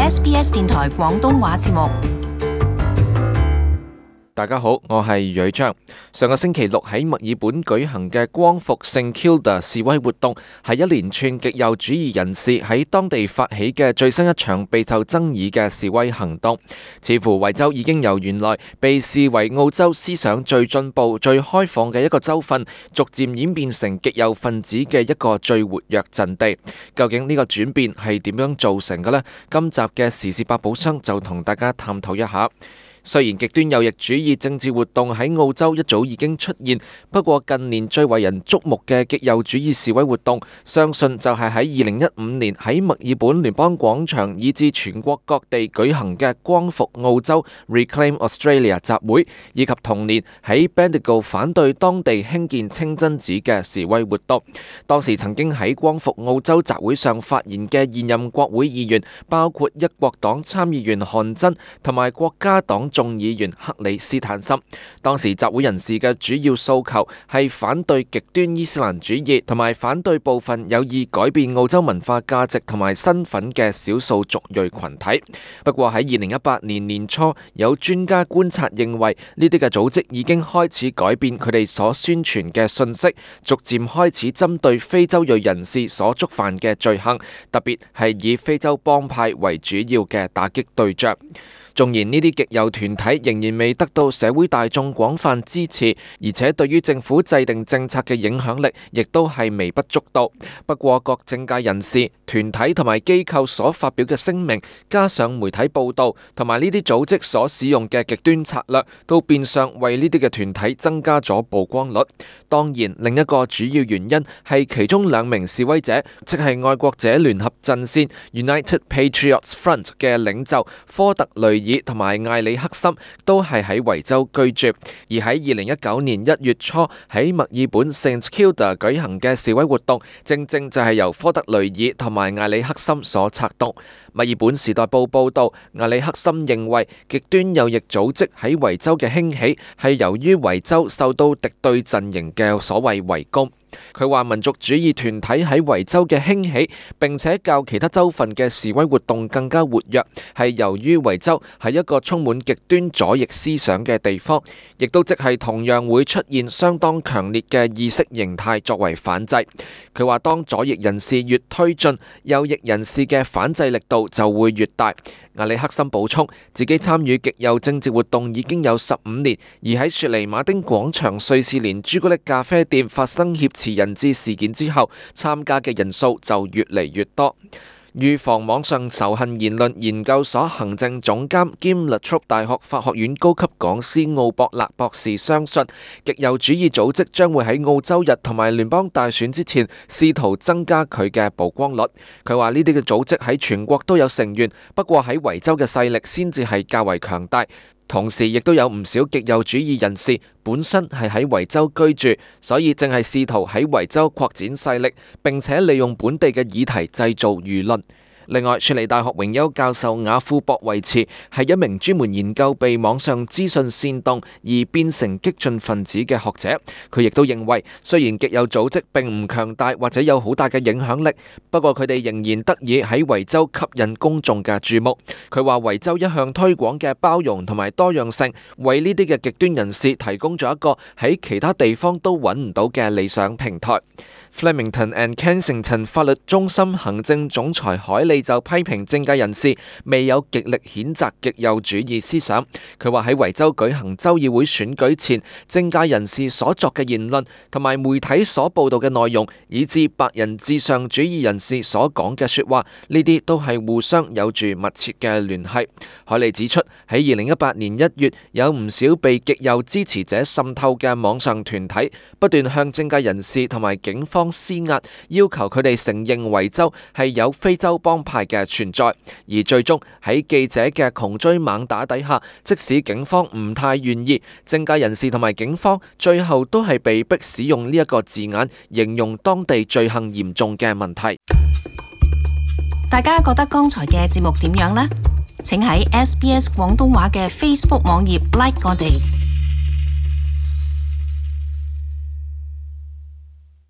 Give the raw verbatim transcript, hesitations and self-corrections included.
S B S 電台廣東話節目。大家好，我係蕊章。上個星期六喺墨爾本舉行嘅光復聖 Kilda 示威活動，係一連串極右主義人士喺當地發起嘅最新一場備受爭議嘅示威行動。似乎維州已經由原來被視為澳洲思想最進步、最開放嘅一個州份，逐漸演變成極右分子嘅一個最活躍陣地。究竟呢個轉變係點樣造成嘅呢？今集嘅時事百寶箱就同大家探討一下。雖然極端右翼主義政治活動喺澳洲一早已經出現，不過近年最為人矚目嘅極右主義示威活動，相信就係喺二零一五年喺墨爾本聯邦廣場以至全國各地舉行嘅光復澳洲 Reclaim Australia 集會，以及同年喺 Bendigo 反對當地興建清真寺嘅示威活動。當時曾經喺光復澳洲集會上發言嘅現任國會議員，包括一國黨參議員韓真同埋國家黨眾議員克里斯坦森。當時集會人士嘅主要訴求係反對極端伊斯蘭主義，同埋反對部分有意改變澳洲文化價值同埋身份嘅少數族裔群體。不過喺二零一八年年初，有專家觀察認為呢啲嘅組織已經開始改變佢哋所宣傳嘅信息，逐漸開始針對非洲裔人士所觸犯嘅罪行，特別係以非洲幫派為主要嘅打擊對象。縱然呢啲極右團體仍然未得到社會大眾廣泛支持，而且對於政府制定政策嘅影響力亦都係微不足道。不過各政界人士、團體同埋機構所發表嘅聲明，加上媒體報導同埋呢啲組織所使用嘅極端策略，都變相為呢啲嘅團體增加咗曝光率。當然，另一個主要原因係其中兩名示威者，即係愛國者聯合陣線 United Patriots Front 嘅領袖科特雷爾同埋艾里克森都係喺維州居住，而喺二零一九年一月初喺墨爾本 Saint Kilda 舉行嘅示威活動，正正就係由科特雷爾同埋艾里克森所策動。墨爾本時代報報道，艾里克森認為極端右翼組織喺維州嘅興起係由於維州受到敵對陣營嘅所謂圍攻。佢話民族主義團體喺維州嘅興起，並且較其他州份嘅示威活動更加活躍，係由於維州係一個充滿極端左翼思想嘅地方，亦都即係同樣會出現相當強烈嘅意識形態作為反制。佢話當左翼人士越推進，右翼人士嘅反制力度就會越大。艾里克森補充，自己參與極右政治活動已經有十五年，而喺雪梨馬丁廣場瑞士蓮朱古力咖啡店發生挾持人質事件之後，參加嘅人數就越嚟越多。預防網上仇恨言論研究所行政總監兼 La Trobe 大學法學院高級講師奧博勒博士相信，極右主義組織將會喺澳洲日同埋聯邦大選之前試圖增加佢嘅曝光率。佢話呢啲嘅組織喺全國都有成員，不過喺維州嘅勢力先至係較為強大。同時亦都有唔少極右主義人士本身係喺維州居住，所以正係試圖喺維州擴展勢力，並且利用本地嘅議題製造輿論。另外，雪梨大學榮休教授雅庫博維茨係一名專門研究被網上資訊煽動而變成激進分子嘅學者。佢亦都認為，雖然極右組織並唔強大或者有好大嘅影響力，不過佢哋仍然得以喺維州吸引公眾嘅注目。佢話維州一向推廣嘅包容同埋多樣性，為呢啲嘅極端人士提供咗一個喺其他地方都揾唔到嘅理想平台。Flemington and Kensington 法律中心行政總裁海利就批評政界人士未有極力譴責極右主義思想。佢話喺維州舉行州議會選舉前，政界人士所作嘅言論同埋媒體所報道嘅內容，以至白人至上主義人士所講嘅說話，呢啲都係互相有住密切嘅聯繫。海利指出，喺二零一八年一月，有唔少被極右支持者滲透嘅網上團體，不斷向政界人士同埋警方施壓，要求佢哋承認維州係有非洲幫派嘅存在，而最終喺記者嘅窮追猛打底下，即使警方唔太願意，政界人士同埋警方最後都係被迫使用呢一個字眼，形容當地罪行嚴重嘅問題。大家覺得剛才嘅節目點樣呢？請喺 S B S 廣東話嘅 Facebook 網頁 like 我哋。